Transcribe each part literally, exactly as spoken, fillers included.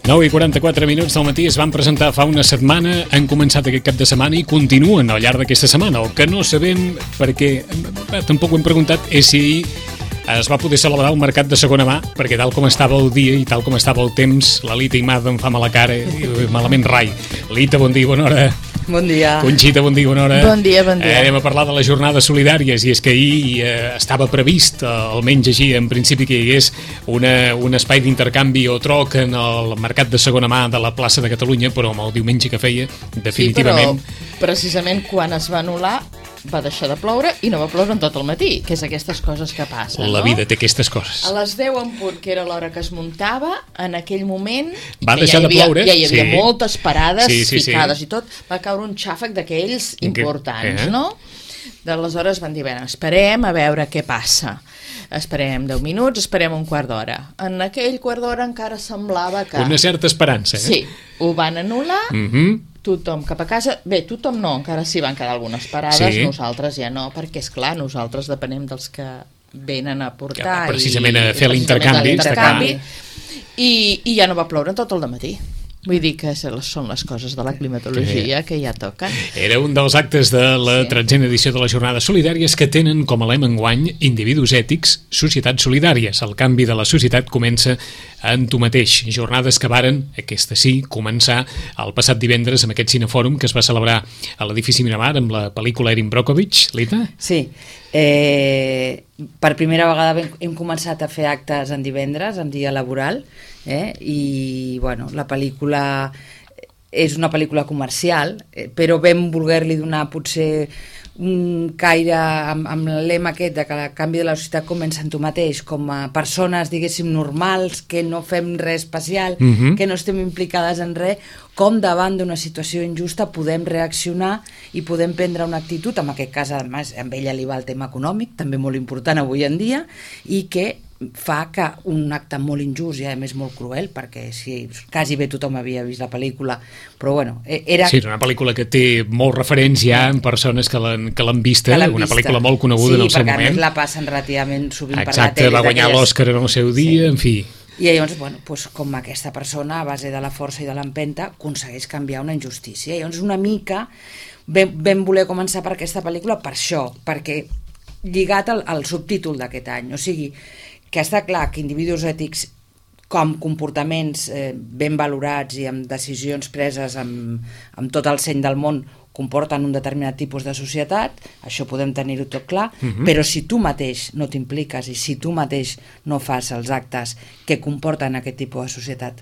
nou i quaranta-quatre minuts del matí es van presentar fa una setmana, han començat aquest cap de setmana i continuen al llarg d'aquesta setmana. El que no sabem, perquè eh, tampoc ho hem preguntat, és si es va poder celebrar el mercat de segona mà, perquè tal com estava el dia i tal com estava el temps, la Lita Imada em fa mala cara i malament rai. Lita, bon dia, bona hora. Bon dia. Conxita, bon dia, bona hora. Bon dia, bon dia. Eh, anem a parlar de les jornades solidàries, i és que ahir eh, estava previst, eh, almenys així, en principi, que hi hagués una, un espai d'intercanvi o troc en el mercat de segona mà de la plaça de Catalunya, però amb el diumenge que feia, definitivament... Sí, però precisament quan es va anul·lar va deixar de ploure i no va ploure en tot el matí, que és aquestes coses que passen, La no? vida té aquestes coses. A les deu en punt, que era l'hora que es muntava, en aquell moment... Va deixar ja de havia, ploure. Ja hi havia sí. moltes parades, sí, sí, ficades sí. i tot. Va caure un xàfec d'aquells Que- importants, eh? no? D'aleshores van dir, bé, esperem a veure què passa. Esperem deu minuts, esperem un quart d'hora. En aquell quart d'hora encara semblava que... Una certa esperança, eh? Sí, ho van anul·lar, Mm -hmm. tothom cap a casa. Bé, tothom no, encara s'hi van quedar algunes parades, Sí. nosaltres ja no, perquè és clar, nosaltres depenem dels que venen a portar Que precisament i, a fer i l'intercanvi, l'intercanvi, està i, i ja no va ploure en tot el dematí. Vull dir que són les coses de la climatologia que ja toquen. Era un dels actes de la Sí. tretzena edició de les Jornades Solidàries, que tenen com a lema enguany individus ètics, societats solidàries. El canvi de la societat comença en tu mateix. Jornades que varen, aquesta sí, començar el passat divendres amb aquest cinefòrum que es va celebrar a l'edifici Miramar amb la pel·lícula Erin Brockovich. Lita? Sí, eh, per primera vegada hem, hem començat a fer actes en divendres, en dia laboral, eh? I bueno, la pel·lícula és una pel·lícula comercial, eh, però vam voler-li donar potser un caire amb, amb el lema aquest de que el canvi de la societat comença en tu mateix, com a persones, diguéssim, normals, que no fem res especial, Mhm. que no estem implicades en res, com davant d'una situació injusta podem reaccionar i podem prendre una actitud, en aquest cas, a més, amb ella li va el tema econòmic, també molt important avui en dia, i que fa que un acte molt injust i a més molt cruel, perquè si quasi bé tothom havia vist la pel·lícula, però bueno, era... Sí, és una pel·lícula que té molts referents ja en persones que l'han que l'han vista, que l'han una vista. pel·lícula molt coneguda sí, en el seu moment. Sí, perquè a més moment. la passen relativament sovint Exacte, per la tele. va guanyar d'aquelles- l'Òscar en el seu dia, Sí. en fi. I llavors, bueno, doncs, com aquesta persona, a base de la força i de l'empenta, aconsegueix canviar una injustícia. I llavors, una mica, vam, vam voler començar per aquesta pel·lícula per això, perquè lligat al, al subtítol d'aquest any, o sigui, que està clar que individus ètics com comportaments eh, ben valorats i amb decisions preses amb, amb tot el seny del món comporten un determinat tipus de societat, això podem tenir-ho tot clar, Mhm. però si tu mateix no t'impliques i si tu mateix no fas els actes que comporten aquest tipus de societat,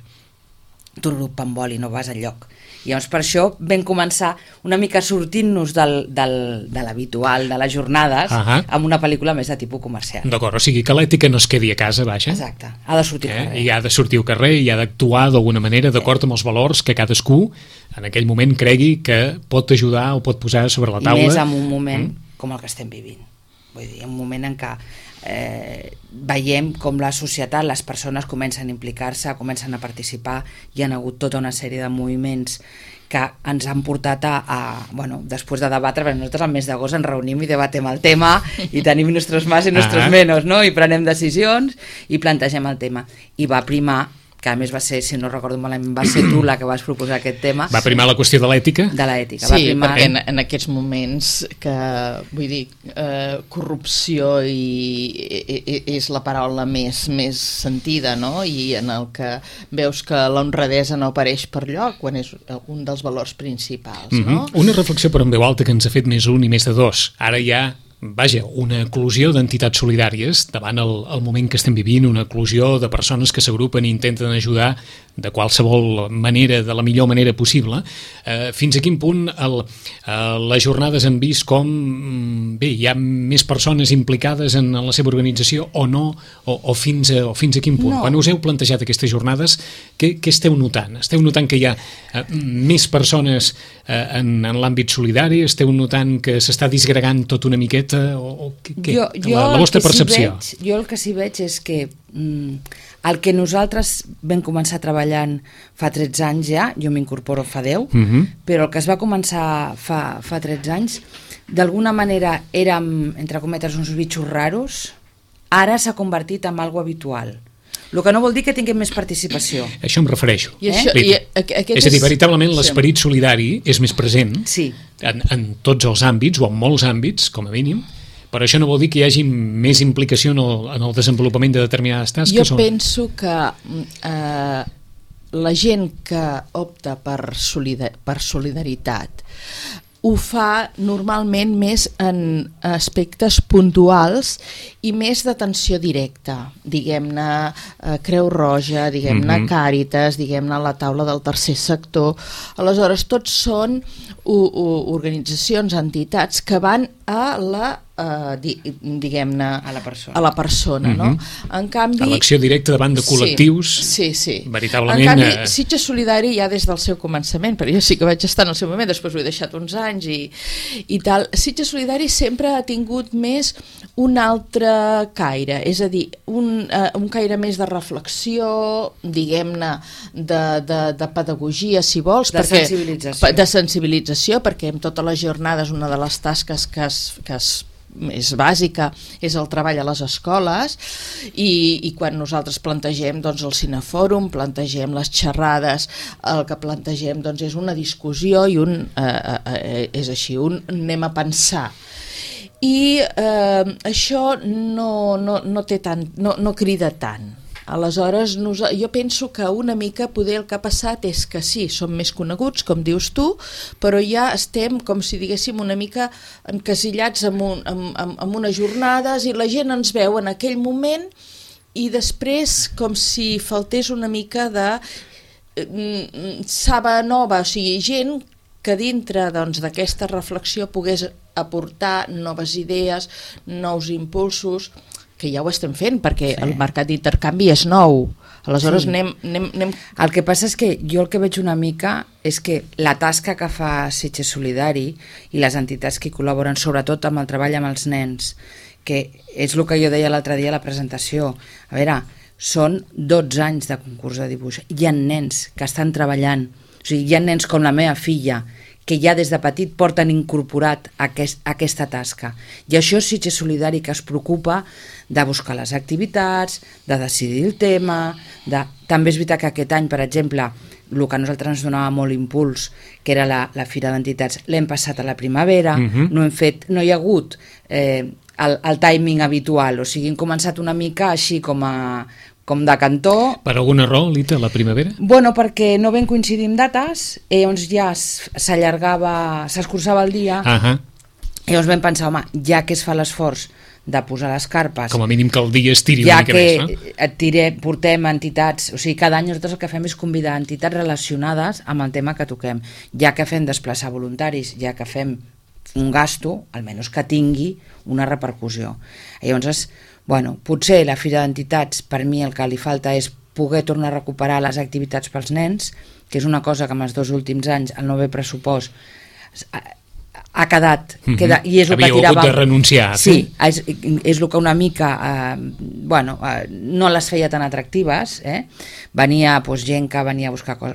tu rup en vol i no vas enlloc. I llavors per això vam començar una mica sortint-nos del, del, de l'habitual de les jornades Ahà. amb una pel·lícula més de tipus comercial. D'acord, o sigui que l'ètica no es quedi a casa, vaja. Exacte, ha de sortir al Eh? carrer. I ha de sortir al carrer i ha d'actuar d'alguna manera d'acord amb els valors que cadascú en aquell moment cregui que pot ajudar o pot posar sobre la taula. I més en un moment Mm. com el que estem vivint. Vull dir, un moment en què eh, veiem com la societat, les persones comencen a implicar-se, comencen a participar, hi ha hagut tota una sèrie de moviments que ens han portat a, a bueno, després de debatre, perquè nosaltres al mes d'agost ens reunim i debatem el tema i tenim nostres más i nostres Ah. menos, no? I prenem decisions i plantegem el tema. I va primar, que a més va ser, si no recordo malament, va ser tu la que vas proposar aquest tema, Va primar la qüestió de l'ètica? de l'ètica. Va Sí, primar... perquè en, en aquests moments que, vull dir, eh, corrupció i, i, i, és la paraula més, més sentida, no? I en el que veus que l'honradesa no apareix per lloc quan és un dels valors principals, no? Mhm. Una reflexió per en veu alta que ens ha fet més un i més de dos. Ara hi ha, vaja, una eclosió d'entitats solidàries davant el, el moment que estem vivint, una eclosió de persones que s'agrupen i intenten ajudar de qualsevol manera, de la millor manera possible. Eh, fins a quin punt el, eh, les jornades han vist com mm, bé, hi ha més persones implicades en la seva organització o no, o, o, fins, a, o fins a quin punt? No. Quan us heu plantejat aquestes jornades, què, què esteu notant? Esteu notant que hi ha eh, més persones eh, en, en l'àmbit solidari? Esteu notant que s'està disgregant tot una miqueta? O, o què, què? Jo, jo la, la el vostra que sí percepció? veig, jo el que sí veig és que mm, el que nosaltres vam començar treballant fa tretze anys ja, jo m'incorporo fa deu, Mhm. però el que es va començar fa, fa tretze anys, d'alguna manera érem, entre cometes, uns bitxos raros, ara s'ha convertit en algo habitual. el que no vol dir que tinguem més participació. Això em refereixo. I això, eh? i aquest és a dir, veritablement sí. l'esperit solidari és més present sí. en, en tots els àmbits, o en molts àmbits, com a mínim, però això no vol dir que hi hagi més implicació en el, en el desenvolupament de determinades tasques. Jo o... penso que eh, la gent que opta per, solidar per solidaritat ho fa normalment més en aspectes puntuals i més d'atenció directa, diguem-ne eh, Creu Roja, diguem-ne mm-hmm. Càritas, diguem-ne la taula del tercer sector. Aleshores, tots són u, u, organitzacions, entitats que van a la Uh, di, diguem-ne a la persona, a la persona mm-hmm. no? En canvi, a l'acció directa davant de col·lectius, sí, sí, sí. veritablement... En canvi, eh... Sitges Solidari ja des del seu començament, perquè jo sí que vaig estar en el seu moment, després ho he deixat uns anys i, i tal, Sitges Solidari sempre ha tingut més un altre caire, és a dir, un, uh, un caire més de reflexió, diguem-ne, de, de, de pedagogia, si vols, de perquè, sensibilització. de sensibilització, perquè en totes les jornades una de les tasques que es, que es és bàsica, és el treball a les escoles i, i quan nosaltres plantegem doncs, el cinefòrum, plantegem les xerrades, el que plantegem doncs, és una discussió i un, eh, eh, és així, un anem a pensar. I eh, això no, no, no, té tant, no, no crida tant. Aleshores, jo penso que una mica poder el que ha passat és que sí, som més coneguts, com dius tu, però ja estem, com si diguéssim, una mica encasillats en, un, en, en, en unes jornades i la gent ens veu en aquell moment i després com si faltés una mica de eh, saba nova, o sigui, gent que dintre doncs, d'aquesta reflexió pogués aportar noves idees, nous impulsos, que ja ho estem fent, perquè sí. el mercat d'intercanvi és nou. Aleshores, sí. anem, anem, anem... El que passa és que jo el que veig una mica és que la tasca que fa Sitges Solidari i les entitats que hi col·laboren, sobretot amb el treball amb els nens, que és el que jo deia l'altre dia a la presentació, a veure, són dotze anys de concurs de dibuix. Hi ha nens que estan treballant, o sigui, hi ha nens com la meva filla, que ja des de petit porten incorporat aquest, aquesta tasca. I això és Sitges Solidari, que es preocupa de buscar les activitats, de decidir el tema, de... també és veritat que aquest any, per exemple, el que a nosaltres ens donava molt impuls, que era la, la Fira d'Entitats, l'hem passat a la primavera, uh-huh. no hem fet, no hi ha hagut eh, el, el timing habitual, o sigui, hem començat una mica així com a... com de cantó. Per alguna raó, Lita, la primavera? Bueno, perquè no vam coincidir en dates, i llavors ja s'allargava, s'escurçava el dia, uh-huh. i llavors vam pensar, home, ja que es fa l'esforç de posar les carpes... Com a mínim que el dia es tiri ja una mica més, no? Ja que tire, portem entitats... O sigui, cada any nosaltres el que fem és convidar entitats relacionades amb el tema que toquem. Ja que fem desplaçar voluntaris, ja que fem un gasto, almenys que tingui una repercussió. I llavors... Bueno, potser la Fira d'Entitats, per mi el que li falta és poder tornar a recuperar les activitats pels nens, que és una cosa que en els dos últims anys el nou pressupost ha quedat, mm-hmm. queda, i és el Havia que tirava... hagut de renunciar. Sí, és, és el que una mica eh, bueno, eh, no les feia tan atractives, eh? Venia pues, gent que venia a buscar cos,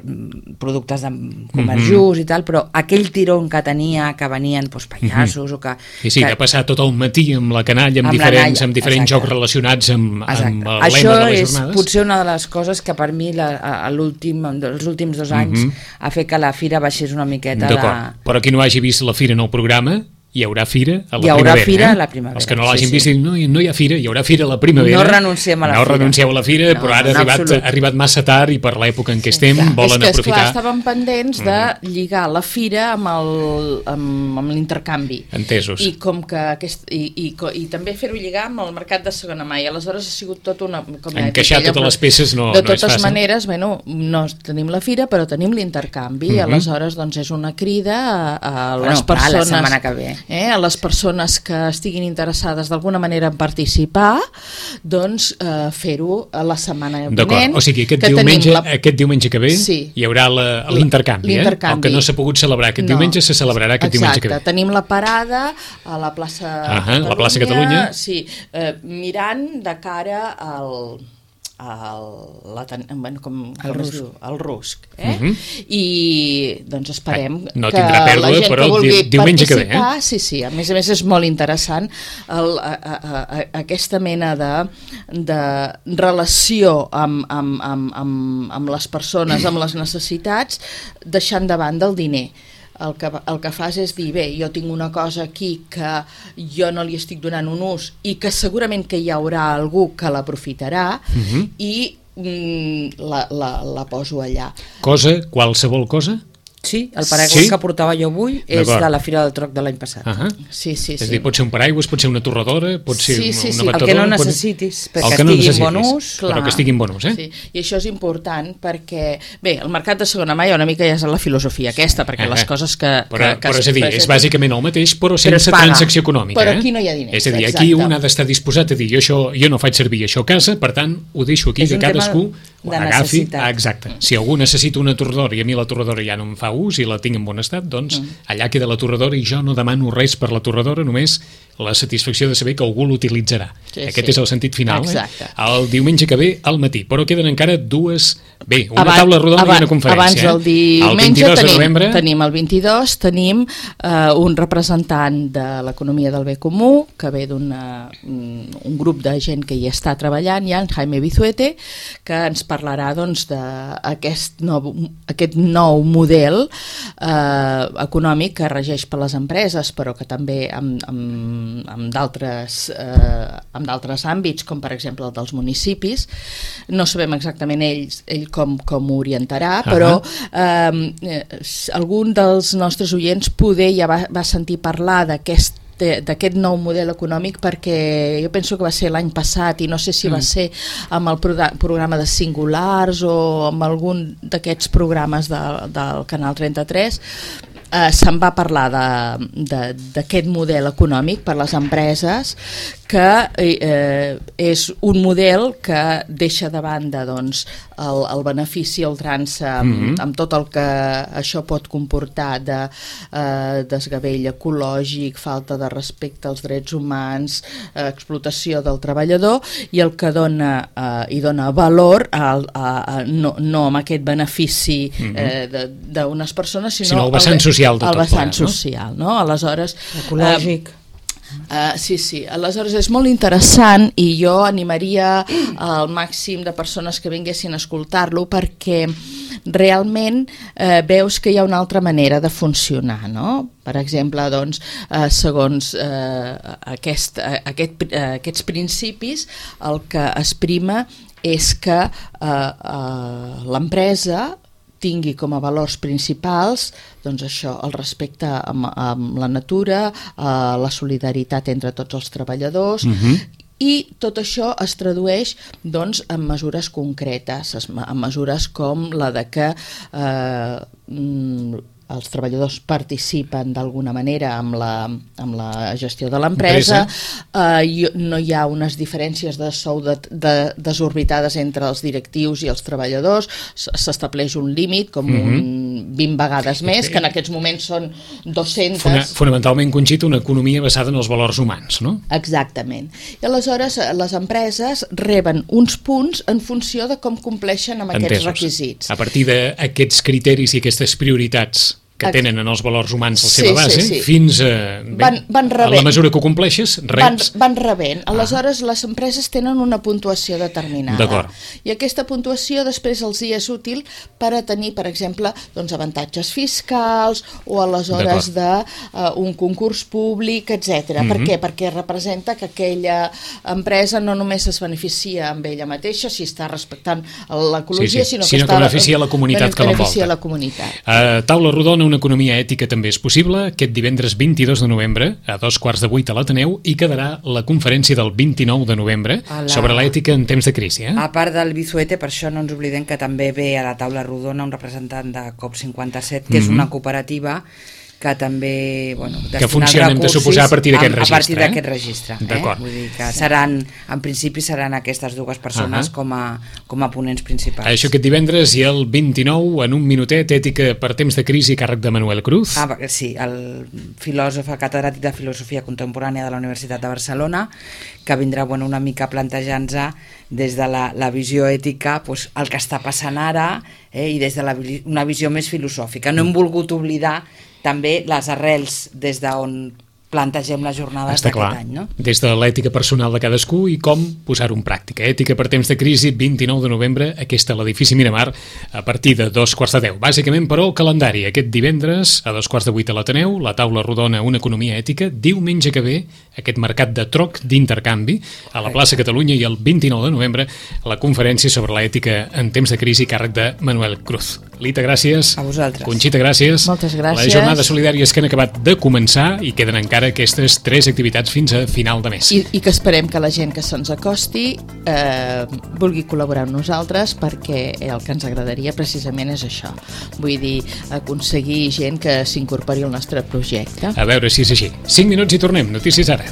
productes de comerç just mm-hmm. i tal, però aquell tirón que tenia, que venien pues, pallassos mm-hmm. o que... I sí, que, de passar tot el matí amb la canalla, amb, amb diferents, amb diferents jocs relacionats amb, amb el Això lema de les és jornades. Potser una de les coses que per mi la, a l'últim, els últims dos anys mm-hmm. ha fet que la fira baixés una miqueta de... D'acord, però qui no hagi vist la fira en el programa, hi haurà fira a la hi haurà primavera. Fira eh? a la primavera. Els que no l'hagin sí, vist, sí. no, no hi ha fira, hi haurà fira a la primavera. No renunciem a la no fira. No renuncieu a la fira, no, però ara ha arribat, ha arribat massa tard i per l'època en què estem clar, volen és que, aprofitar. És que, estàvem pendents de lligar la fira amb el, amb, amb l'intercanvi. Entesos. I com que aquest, i, i, i també fer-ho lligar amb el mercat de segona mà. I aleshores ha sigut tot una... Com encaixar totes les peces no, de no és fàcil. De totes maneres, bueno, no tenim la fira, però tenim l'intercanvi. Mm-hmm. Aleshores, doncs, és una crida a, a bueno, les persones... Clar, la setmana que ve. Eh, a les persones que estiguin interessades d'alguna manera en participar, doncs eh, fer-ho a la setmana vinent. D'acord, o sigui, aquest diumenge, la... aquest diumenge que ve sí. hi haurà l'intercanvi, eh? El que no s'ha pogut celebrar aquest no. diumenge se celebrarà aquest Exacte. diumenge que ve. Tenim la parada a la plaça uh-huh, Catalunya, la plaça Catalunya. Sí, eh, mirant de cara al... el, la, bueno, com, el, com es diu? El rusc. Eh? Uh -huh. I doncs esperem no que pèrdua, la gent però que vulgui diumenge que ve, eh? Sí, sí, a més a més és molt interessant el, a, a, a, aquesta mena de, de relació amb, amb, amb, amb, amb les persones, amb les necessitats, deixant de banda el diner. El que, el que fas és dir, bé, jo tinc una cosa aquí que jo no li estic donant un ús i que segurament que hi haurà algú que l'aprofitarà uh-huh. i mm, la, la, la poso allà. Cosa, qualsevol cosa? Sí, el paraigua sí? que portava jo avui és de la Fira del Troc de l'any passat. Uh -huh. Sí, sí, sí. És a dir, pot ser un paraigua, pot ser una torradora, pot ser sí, sí, una sí. batedora... El que no necessitis, pot... perquè que no estigui necessitis, en bon ús. Clar. Però que estigui en bon ús, eh? Sí. I això és important perquè, bé, el mercat de segona mà hi ha una mica ja és la filosofia aquesta, perquè uh -huh. les coses que... Però, que, que però és a dir, és bàsicament el mateix, però sense però transacció econòmica. Però eh? aquí no hi ha diners. És a dir, exacte. aquí un ha d'estar disposat a dir, jo, això, jo no faig servir això a casa, per tant, ho deixo aquí, és que cadascú de agafi. necessitat. Ah, exacte. Si algú necessita una torradora i a mi la torradora ja no em fa ús i la tinc en bon estat, doncs mm. allà queda la torradora i jo no demano res per la torradora, només la satisfacció de saber que algú l'utilitzarà. Sí, Aquest sí. és el sentit final. Exacte. Eh? El diumenge que ve al matí, però queden encara dues... Bé, una abans, taula rodona abans, i una conferència. Abans del diumenge el vint-i-dos tenim, de novembre... tenim el vint-i-dos, tenim uh, un representant de l'economia del bé comú, que ve d'un un grup de gent que hi està treballant, ja, en Jaime Vizuete, que ens parlarà doncs, d'aquest nou, aquest nou model eh, econòmic que regeix per les empreses, però que també amb, amb, amb d'altres eh, amb d'altres àmbits, com per exemple el dels municipis. No sabem exactament ells, ell com, com ho orientarà, uh-huh. però eh, algun dels nostres oients poder ja va, va sentir parlar d'aquest d'aquest nou model econòmic, perquè jo penso que va ser l'any passat i no sé si mm. va ser amb el programa de Singulars o amb algun d'aquests programes de, del Canal trenta-tres. Eh, se'n va parlar d'aquest model econòmic per les empreses, que eh, és un model que deixa de banda doncs, el, el benefici al trans amb, mm-hmm. amb tot el que això pot comportar de eh, desgavell ecològic, falta de respecte als drets humans, eh, explotació del treballador, i el que dona, eh, i dona valor a, a, a, no, no amb aquest benefici eh, d'unes persones, sinó, sinó el vessant social de el tot vessant plegat, no? social, no? Aleshores, ecològic. Eh, Uh, sí, sí, aleshores és molt interessant i jo animaria al màxim de persones que vinguessin a escoltar-lo, perquè realment eh, veus que hi ha una altra manera de funcionar, no? Per exemple, doncs, eh, segons eh, aquest, eh, aquest, eh, aquests principis, el que es prima és que eh, eh, l'empresa tingui com a valors principals doncs això, el respecte amb, amb la natura, eh, la solidaritat entre tots els treballadors, uh-huh. i tot això es tradueix doncs, en mesures concretes, en mesures com la de que eh, els treballadors participen d'alguna manera amb la, amb la gestió de l'empresa, eh, no hi ha unes diferències de sou de, de, desorbitades entre els directius i els treballadors, s'estableix un límit com mm-hmm. un vint vegades més, que en aquests moments són dues-centes. Fona, fonamentalment, Conxita, una economia basada en els valors humans, no? Exactament. I aleshores les empreses reben uns punts en funció de com compleixen amb aquests Entesos. requisits. A partir d'aquests criteris i aquestes prioritats que tenen en els valors humans la seva sí, base, sí, sí. fins a, bé, van, van a la mesura que ho compleixes, reps. Van, van rebent. Aleshores, ah. les empreses tenen una puntuació determinada. D'acord. I aquesta puntuació després els hi és útil per a tenir, per exemple, doncs, avantatges fiscals o aleshores d'un uh, un concurs públic, etcètera. Mm-hmm. Per què? Perquè representa que aquella empresa no només es beneficia amb ella mateixa, si està respectant l'ecologia, sí, sí. sinó, sinó que, que està, beneficia la comunitat que l'envolta. Beneficia la comunitat. Uh, taula rodona, una economia ètica també és possible, aquest divendres vint-i-dos de novembre a dos quarts de vuit a l'Ateneu, i quedarà la conferència del vint-i-nou de novembre la... sobre l'ètica en temps de crisi. Eh? A part del Vizuete, per això no ens oblidem que també ve a la taula rodona un representant de COP cinquanta-set, que mm-hmm. és una cooperativa que també, bueno, que funciona, hem de suposar, a partir d'aquest registre. A partir d'aquest registre. Eh? Eh? Vull dir que seran, en principi seran aquestes dues persones uh-huh. com, a, com a ponents principals. Això aquest divendres i el vint-i-nou, en un minutet, ètica per temps de crisi, càrrec de Manuel Cruz. Ah, sí, el filòsof, el catedràtic de Filosofia Contemporània de la Universitat de Barcelona, que vindrà bueno, una mica plantejant-se des de la, la visió ètica doncs, el que està passant ara eh, i des de la, una visió més filosòfica. No hem volgut oblidar també les arrels des d'on plantegem les jornades d'aquest any, no? Des de l'ètica personal de cadascú i com posar-ho en pràctica. Ètica per temps de crisi, vint-i-nou de novembre, aquesta a l'edifici Miramar, a partir de dos quarts de deu. Bàsicament, però, el calendari. Aquest divendres, a dos quarts de vuit a l'Ateneu, la taula rodona Una economia ètica. Diumenge que ve, aquest mercat de troc d'intercanvi a la plaça Catalunya, i el vint-i-nou de novembre, la conferència sobre l'ètica en temps de crisi, càrrec de Manuel Cruz. Lita, gràcies. A vosaltres. Conxita, gràcies. Moltes gràcies. Les jornades solidàries que han acabat de començar i queden encara aquestes tres activitats fins a final de mes. I, i que esperem que la gent que se'ns acosti eh, vulgui col·laborar amb nosaltres, perquè el que ens agradaria precisament és això. Vull dir, aconseguir gent que s'incorpori al nostre projecte. A veure si és així. cinc minuts i tornem. Notícies ara.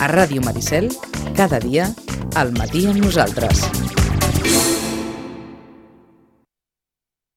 A Ràdio Maricel, cada dia, al matí amb nosaltres.